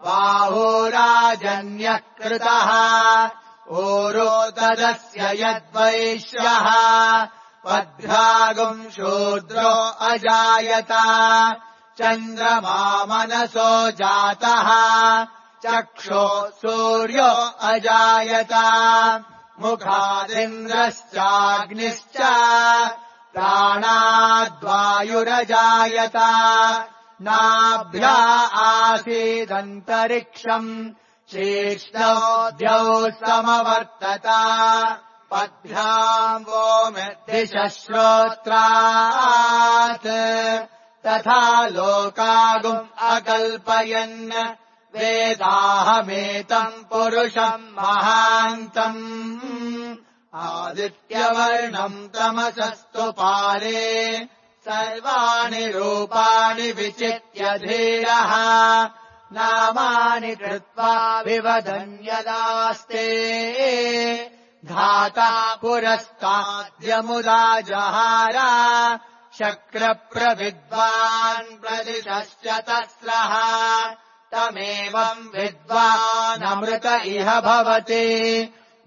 बाहुराजन्यः कृतः ऊरो तदस्य यद्वैश्यः पद्भ्रागुम् शूद्रो अजायत चन्द्रमा मनसो जातः चक्षो सूर्यो अजायत मुखादिन्द्रश्चाग्निश्च प्राणाद्वायुरजायत नाभ्या आसीदन्तरिक्षम् शीर्ष्णो द्यौ समवर्तत पद्भ्याम् वो दिशः श्रोत्रात् तथा लोकागुम् अकल्पयन् वेदाहमेतम् पुरुषम् महान्तम् आदित्यवर्णम् तमसस्तु पारे सर्वाणि रूपाणि विचित्य धीरः नामानि कृत्वा विवदन्यदास्ते धाता पुरस्ताद्यमुदा जहार शक्रप्रविद्वान् प्रदिशश्च तस्रः तमेवम् विद्वानमृत इह भवति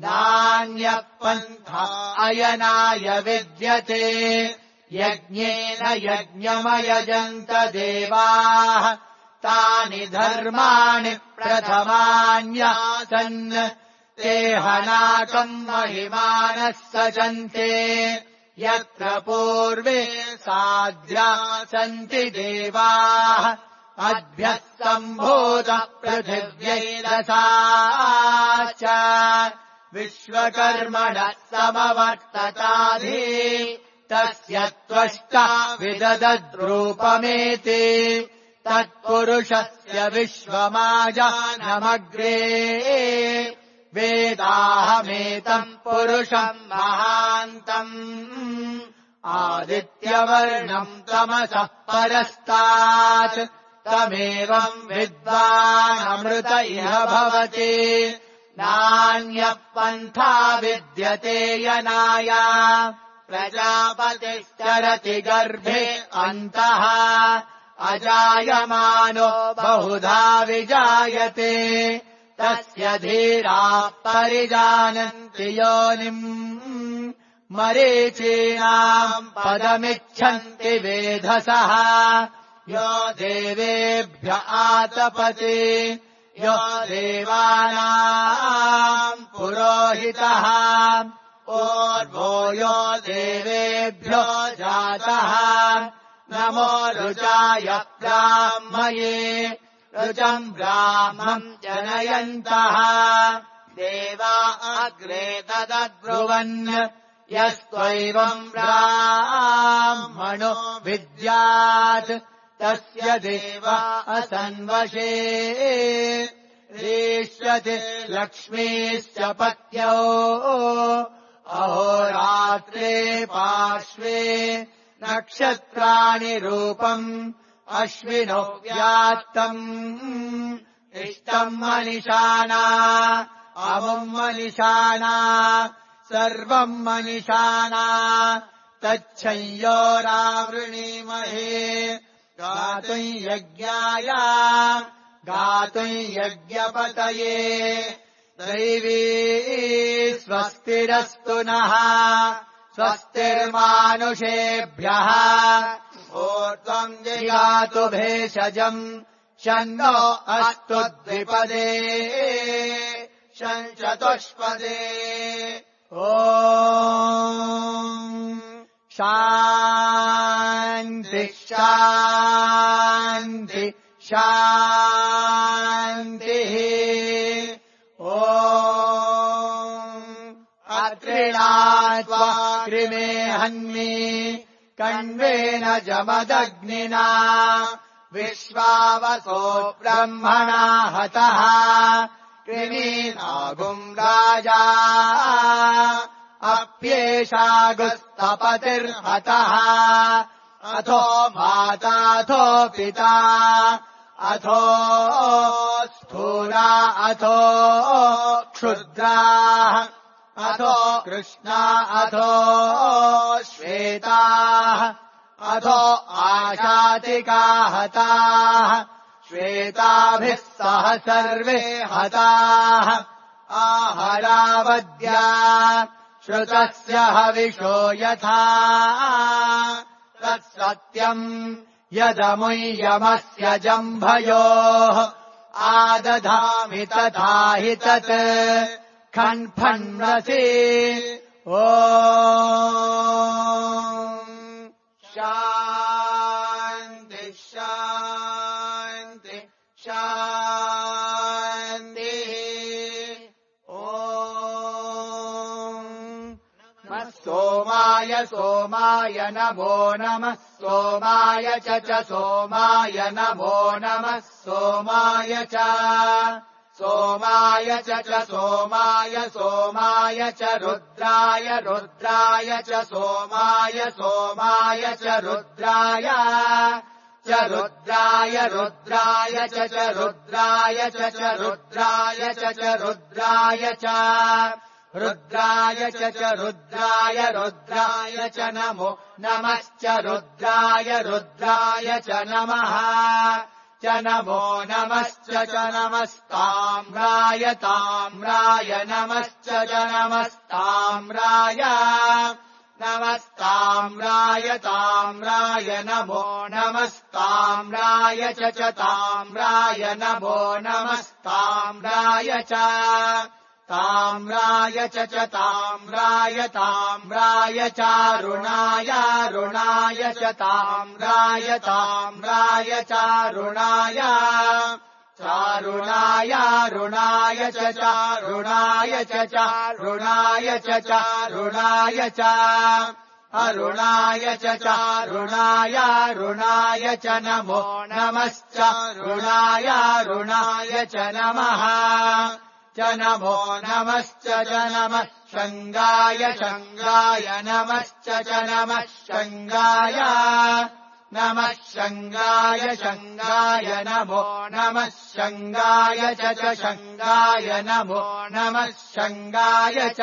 नान्यः पन्था अयनाय विद्यते यज्ञेन यज्ञमयजन्त देवाः तानि धर्माणि प्रथमान्यासन् ते हनाकम् महिमानः सजन्ते यत्र पूर्वे साध्या सन्ति देवाः अद्भ्यः सम्भूतः पृथिव्यैरसाश्च विश्वकर्मणः समवर्तताधि तस्य त्वष्टा विददद्रूपमेति तत्पुरुषस्य विश्वमाजानमग्रे वेदाहमेतम् पुरुषम् महान्तम् आदित्यवर्णम् तमसः परस्तात् तमेवम् विद्वानमृत इह भवति नान्यः पन्था विद्यते यनाय प्रजापतिश्चरति गर्भे अन्तः अजायमानो बहुधा विजायते तस्य धीराः परिजानन्ति योनिम् मरीचीनाम् पदमिच्छन्ति वेधसः यो देवेभ्य आतपति यो देवानाम् पुरोहितः पूर्वो यो देवेभ्यो जातः नमो रुचाय ब्राह्मये रुचम् ब्राह्मम् जनयन्तः देवा अग्रे तदब्रुवन् यस्त्वैवम् ब्राह्मणो विद्यात् तस्य देवा असन्वशे रीष्यति लक्ष्मीश्च पत्यौ अहोरात्रे पार्श्वे नक्षत्राणि रूपम् अश्विनो व्यात्तम् इष्टम् मनिषाणा अमुम् मनिषाणा सर्वम् मनिषाणा तच्छंयोरावृणीमहे गातुम् यज्ञाय गातुम् यज्ञपतये दैवी स्वस्तिरस्तु नः स्वस्तिर्मानुषेभ्यः ऊर्ध्वम् जिगातु भेषजम् शन्नो अस्तु द्विपदे शञ्चतुष्पदे ॐ शान्ति शान्ति शान्तिः ॐ अत्रिणात्वा कृमे हन्मि कण्वेन जमदग्निना विश्वावसो ब्रह्मणा हतः कृमीनागुम् राजा अप्येषागुस्तपतिर्हतः अथो माताथो पिता अथो स्थूला अथो क्षुद्राः अथो कृष्णा अथो श्वेताः अथो आशातिका हताः श्वेताभिः सह सर्वे हताः आहरावद्या श्रुतस्य हविषो यथा तत्सत्यम् यदमुय्यमस्य जम्भयोः आदधामि तथा हि तत् खन्फन्नसि ॐ शान्ति शान्ति शान्तिः ॐ सोमाय सोमाय नमो नमः सोमाय च च सोमाय नमो नमः सोमाय च सोमाय च च सोमाय सोमाय च रुद्राय रुद्राय च सोमाय सोमाय च रुद्राय च रुद्राय रुद्राय च च रुद्राय च च रुद्राय च च रुद्राय च रुद्राय च च रुद्राय रुद्राय च नमो नमश्च रुद्राय रुद्राय च नमः च नमो नमश्च च नमस्ताम्राय ताम्राय नमश्च च नमस्ताम्राय नमस्ताम्राय ताम्राय नमो नमस्ताम्राय च च ताम्राय नमो नमस्ताम्राय च ताम्राय च च ताम्राय ताम्राय चारुणाय रुणाय च ताम्राय ताम्राय चारुणाय चारुणाय रुणाय च चारुणाय च चारुणाय च चारुणाय च अरुणाय च चारुणाय रुणाय च नमो नमश्च रुणाय रुणाय च नमः च नमो नमश्च च नमः शङ्गाय शङ्गाय नमश्च च नमः शङ्गाय नमः शङ्गाय शङ्गाय नमो नमः शङ्गाय च च शङ्गाय नमो नमः शङ्गाय च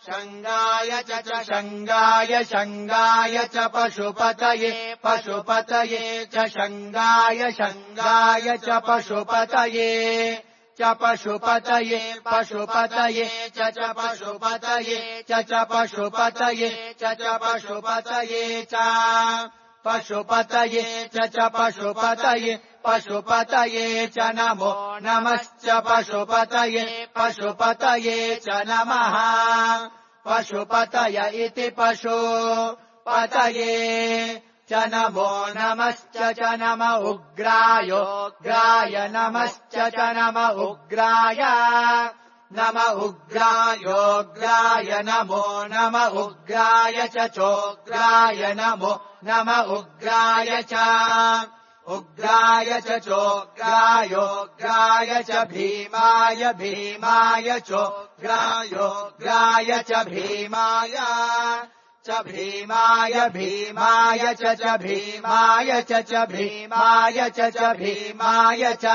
शङ्गाय च च शङ्गाय शङ्गाय च पशुपतये पशुपतये च शङ्गाय शङ्गाय च पशुपतये च पशुपतये पशुपतये च च पशुपतये च च पशुपतये च च पशुपतये च पशुपतये च च पशुपतये पशुपतये च नमो नमश्च पशुपतये पशुपतये च नमः पशुपतय इति पशुपतये च नमो नमश्च च नम उग्रायोग्राय नमश्च च नम उग्राय नम उग्रायोग्राय नमो नम उग्राय च चोग्राय नमो नम उग्राय च उग्राय च चोग्रायोग्राय च भीमाय भीमाय चोग्रायोग्राय च भीमाय च भीमाय भीमाय च च भीमाय च च भीमाय च च भीमाय च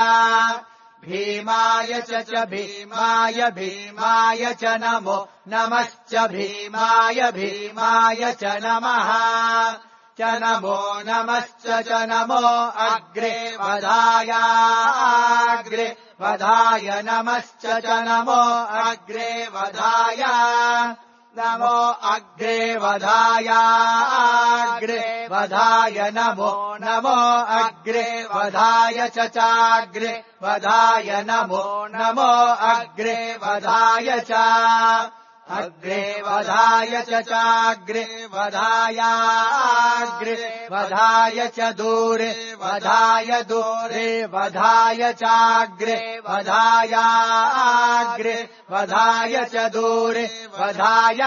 भीमाय च च भीमाय भीमाय च नमो नमश्च भीमाय भीमाय च नमः च नमो नमश्च च नमो अग्रे वधाय अग्रे वधाय नमश्च च नमो अग्रे वधाय नमो अग्रे वधाय अग्रे वधाय नमो नमो अग्रे वधाय च चाग्रे वधाय नमो नमो अग्रे वधाय च अग्रे वधाय च चाग्रे वधाय अग्रे वधाय च दूरे वधाय दूरे वधाय चाग्रे वधाय अग्रे वधाय च दूरे वधाय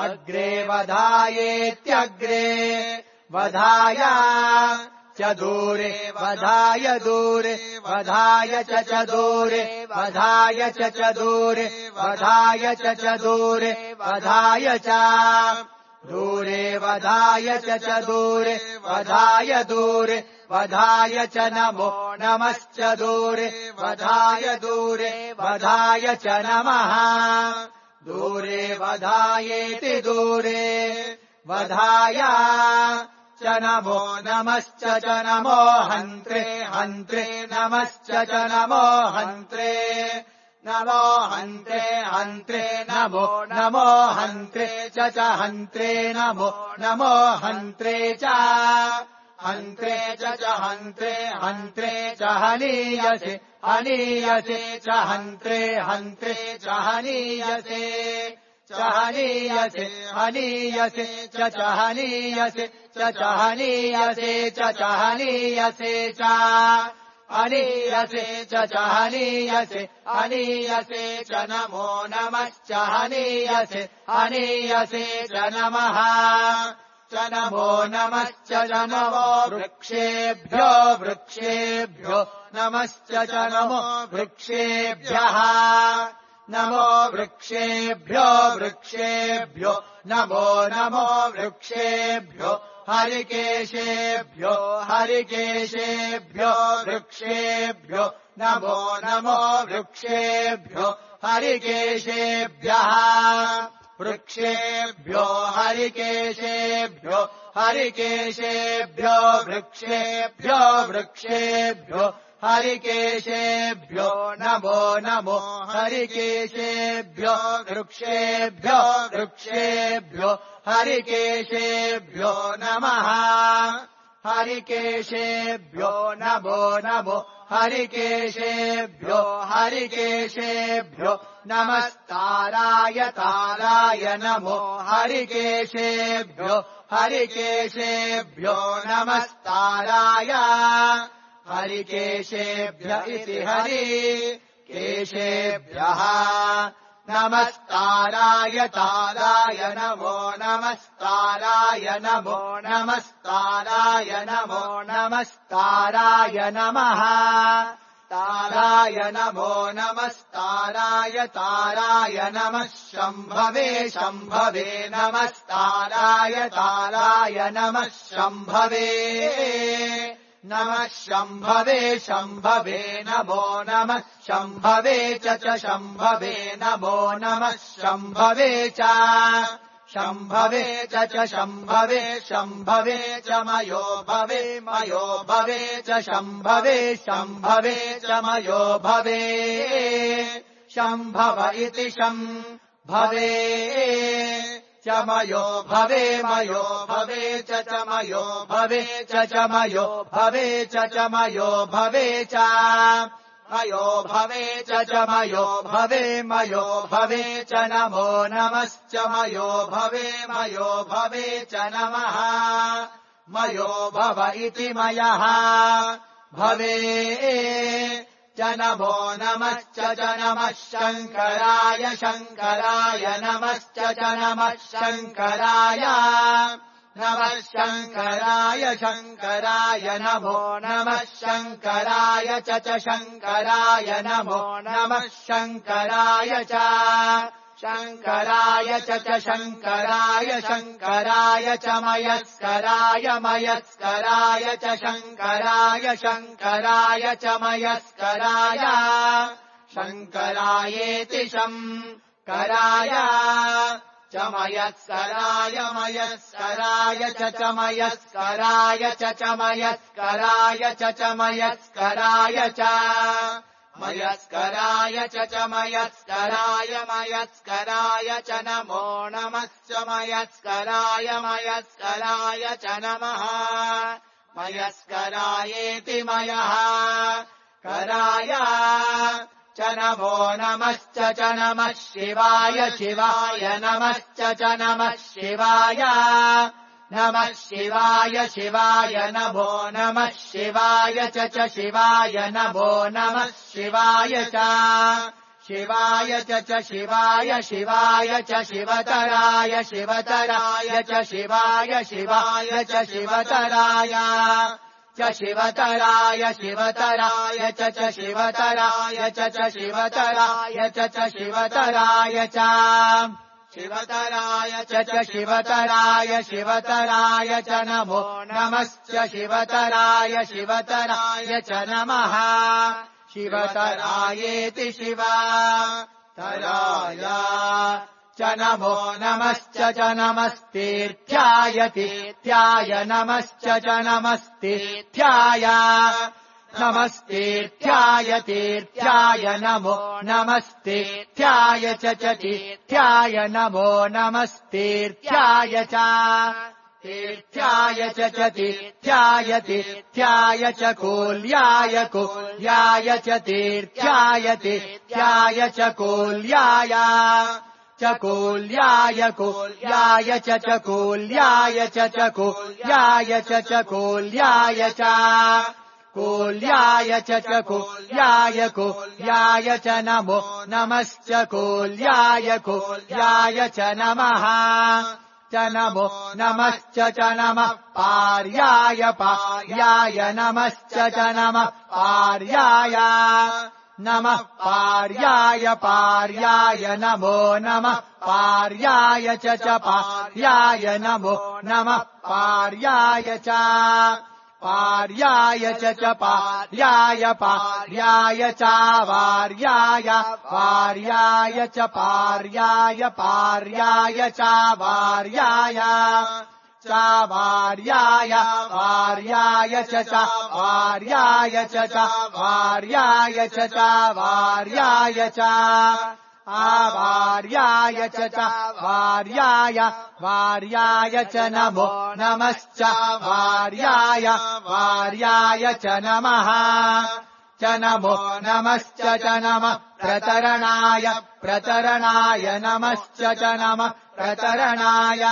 अग्रे वधायेत्यग्रे वधाय च दूरे वधाय दूरे वधाय च च दूरे वधाय च च दूरे वधाय च च दूरे वधाय च दूरे वधाय च च दूरे वधाय दूरे वधाय च नमो नमश्च दूरे वधाय दूरे वधाय च नमः दूरे वधायेति दूरे वधाय च नमो नमश्च च नमो हन्त्रे हन्त्रे नमश्च च नमो हन्त्रे नमो हन्त्रे हन्त्रे नमो नमो हन्त्रे च च हन्त्रे नमो नमो हन्त्रे च हन्त्रे च च हन्त्रे हन्त्रे च हनीयसे हनीयसे च हन्त्रे हन्त्रे च हनीयसे च हनीयसे हनीयसे च च हनीयसे च च हनीयसे च च हनीयसे च हनीयसे च च हनीयसे हनीयसे च नमो नमश्च हनीयसे हनीयसे च नमः नमश्च नमो नमश्च नमो वृक्षेभ्यो वृक्षेभ्यो नमश्च नमो वृक्षेभ्यः नमो वृक्षेभ्यो वृक्षेभ्यो नमो नमो वृक्षेभ्यो हरिकेशेभ्यो हरिकेशेभ्यो वृक्षेभ्यो नमो नमो वृक्षेभ्यो हरिकेशेभ्यः वृक्षेभ्यो हरिकेशेभ्यो हरिकेशेभ्यो वृक्षेभ्यो वृक्षेभ्यो हरिकेशेभ्यो नमो नमो हरिकेशेभ्यो वृक्षेभ्यो वृक्षेभ्यो हरिकेशेभ्यो नमः हरिकेशेभ्यो नमो नमो हरिकेशेभ्यो हरिकेशेभ्यो नमस्ताराय ताराय नमो हरिकेशेभ्यो हरिकेशेभ्यो नमस्ताराय हरिकेशेभ्य इति हरिकेशेभ्यः नमस्ताराय ताराय नमो नमस्ताराय नमो नमस्ताराय नमो नमस्ताराय नमः ताराय नमो नमस्ताराय ताराय नमः शम्भवे शम्भवे नमस्ताराय ताराय नमः शम्भवे नमः शम्भवे शम्भवे नमो नमः शम्भवे च च शम्भवे नमो नमः शम्भवे च शम्भवे च च शम्भवे शम्भवे च मयो भवे मयो भवे च शम्भवे शम्भवे च मयो भवे शम्भव इति शम्भवे च मयो भवे मयो भवे च च मयो भवे च च मयो भवे च च मयो भवे च मयो भवे च च मयो भवे मयो भवे च नमो नमश्च मयो भवे मयो भवे च नमः मयो भव इति मयः भवे च नमो नमश्च च नमः शङ्कराय शङ्कराय नमश्च च नमः शङ्कराय नमः शङ्कराय शङ्कराय नमो नमः शङ्कराय च च शङ्कराय नमो नमः शङ्कराय च शङ्कराय च च शङ्कराय शङ्कराय च मयस्कराय मयस्कराय च शङ्कराय शङ्कराय च मयस्कराय शङ्करायेति शङ्कराय च मयस्कराय मयस्कराय च च मयस्कराय च च मयस्कराय च च मयस्कराय च मयस्कराय च च मयस्कराय मयस्कराय च नमो नमश्च मयस्कराय मयस्कराय च नमः मयस्करायेति मयः कराय च नमो नमश्च च नमः शिवाय शिवाय नमश्च च नमः शिवाय नमः शिवाय शिवाय नमो नमः शिवाय च च शिवाय नमो नमः शिवाय च शिवाय च च शिवाय शिवाय च शिवतराय शिवतराय च शिवाय शिवाय च शिवतराय च शिवतराय शिवतराय च च शिवतराय च च शिवतराय च च शिवतराय च शिवतराय च च शिवतराय शिवतराय च नमो नमश्च शिवतराय शिवतराय च नमः शिवतरायेति शिवतराय च नमो नमश्च च नमस्तीर्थ्याय तीर्थ्याय नमश्च च नमस्तीर्थ्याय नमस्तीर्थ्याय तीर्थ्याय नमो नमस्तीर्थ्याय च च तीर्थ्याय नमो नमस्तीर्थ्याय च तीर्थ्याय च च तीर्थ्याय तीर्थ्याय च कूल्याय कूल्याय च तीर्थ्याय तीर्थ्याय च कूल्याय च कूल्याय कूल्याय च च कूल्याय च च कूल्याय च च कूल्याय च कूल्याय च च कूल्याय कूल्याय च नमो नमश्च कूल्याय कूल्याय च नमः च नमो नमश्च च नमः पार्याय पार्याय नमश्च च नमः पार्याय नमः पार्याय पार्याय नमो नमः पार्याय च च पार्याय नमो नमः पार्याय च पार्याय च च पार्याय पार्याय च वार्याय वार्याय च पार्याय पार्याय च वार्याय च वार्याय वार्याय च च वार्याय च च वार्याय च च वार्याय च आवार्याय च च वार्याय वार्याय च नमो नमश्च वार्याय वार्याय च नमः च नमो नमश्च च नमः प्रतरणाय प्रतरणाय नमश्च च नमः प्रतरणाय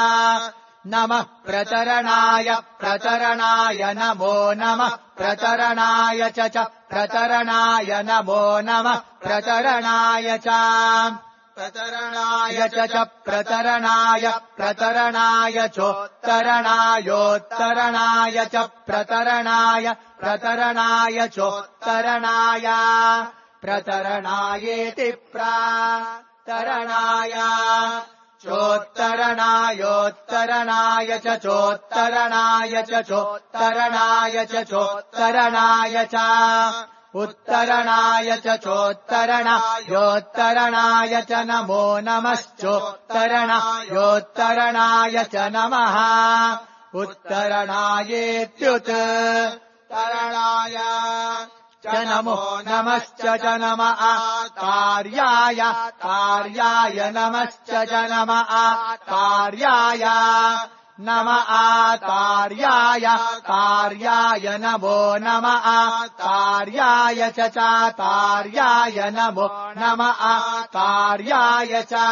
नमः प्रतरणाय प्रतरणाय नमो नमः प्रतरणाय च च प्रतरणाय नमो नमः प्रतरणाय च प्रतरणाय च च प्रतरणाय प्रतरणाय चोत्तरणायोत्तरणाय च प्रतरणाय प्रतरणाय चोत्तरणाय प्रतरणायेति प्रतरणाय चोत्तरणायोत्तरणाय च चोत्तरणाय च चोत्तरणाय च चोत्तरणाय च उत्तरणाय च चोत्तरणायोत्तरणाय च नमो नमश्चोत्तरणायोत्तरणाय च नमः उत्तरणायेत्युत्तरणाय च नमो नमश्च च नमः कार्याय कार्याय नमश्च च नमः कार्याय नमः कार्याय कार्याय नमो नमः कार्याय च च कार्याय नमो नमः कार्याय च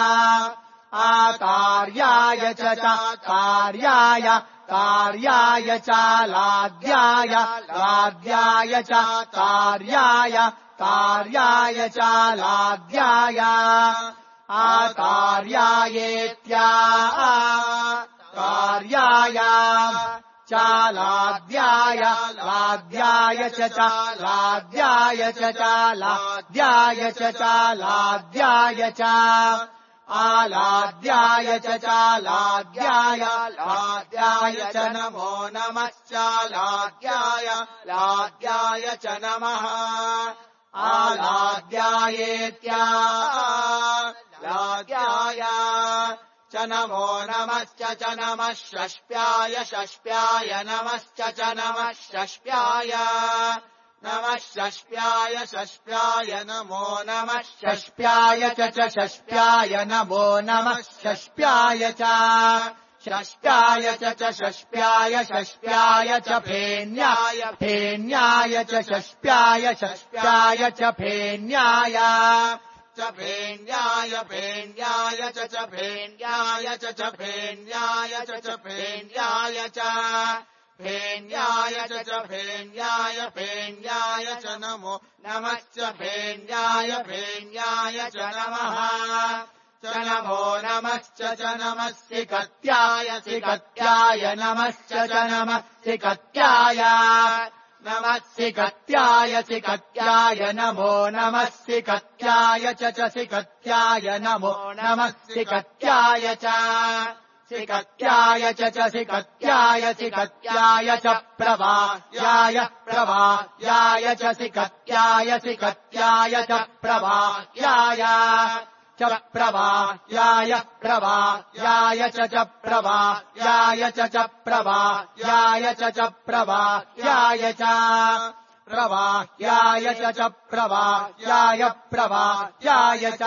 आकार्याय च च कार्याय कार्याय च लाद्याय लाद्याय च कार्याय कार्याय च लाद्याय आकार्यायेत्या कार्याय च लाद्याय लाद्याय च च लाद्याय च च लाद्याय च च लाद्याय च आलाद्याय च च लाद्याय लाद्याय च नमो नमश्च लाद्याय लाद्याय च नमः आलाद्यायेत्या लाद्याय च नमो नमश्च च नमः षष्प्याय षष्प्याय नमश्च च नमः षष्प्याय नमः षष्प्याय षष्प्याय नमो नमः षष्प्याय च च षष्प्याय नमो नमः षष्प्याय च षष्प्याय च च षष्प्याय षष्प्याय च फेन्याय फेन्याय च षष्प्याय षष्प्याय च फेन्याय च फेन्याय फेन्याय च च फेन्याय च च फेन्याय च च फेन्याय च फेन्याय च च फेन्याय फेन्याय च नमो नमश्च फेन्याय फेन्याय च नमः च नमो नमश्च च नमः सिकत्याय सिकत्याय नमश्च च नमः सिकत्याय नमः सिकत्याय सिकत्याय नमो नमः सिकत्याय च च सिकत्याय नमो नमः सिकत्याय च सिकत्याय च च सिकत्याय सिकत्याय च प्रवाह्याय प्रवाह्याय च सिकत्याय सिकत्याय च प्रवाह्याय च प्रवाह्याय प्रवाह्याय च च प्रवाह्याय च च प्रवाह्याय च च प्रवाह्याय च प्रवाह्याय च च प्रवाह्याय प्रवाह्याय च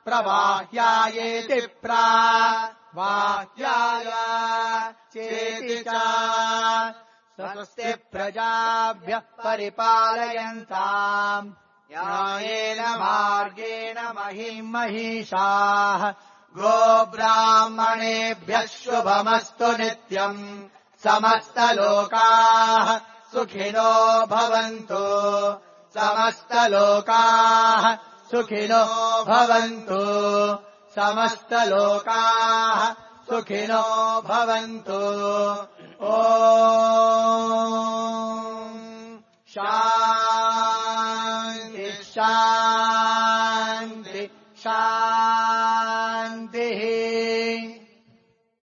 प्रवाह्यायेति प्रवाह्याय चेति च स्वस्ति प्रजाभ्यः परिपालयन्ताम् न्यायेन मार्गेण महिम् महिषाः गोब्राह्मणेभ्यः शुभमस्तु नित्यम् समस्तलोकाः सुखिनो भवन्तु समस्तलोकाः सुखिनो भवन्तु समस्तलोकाः सुखिनो भवन्तु। ॐ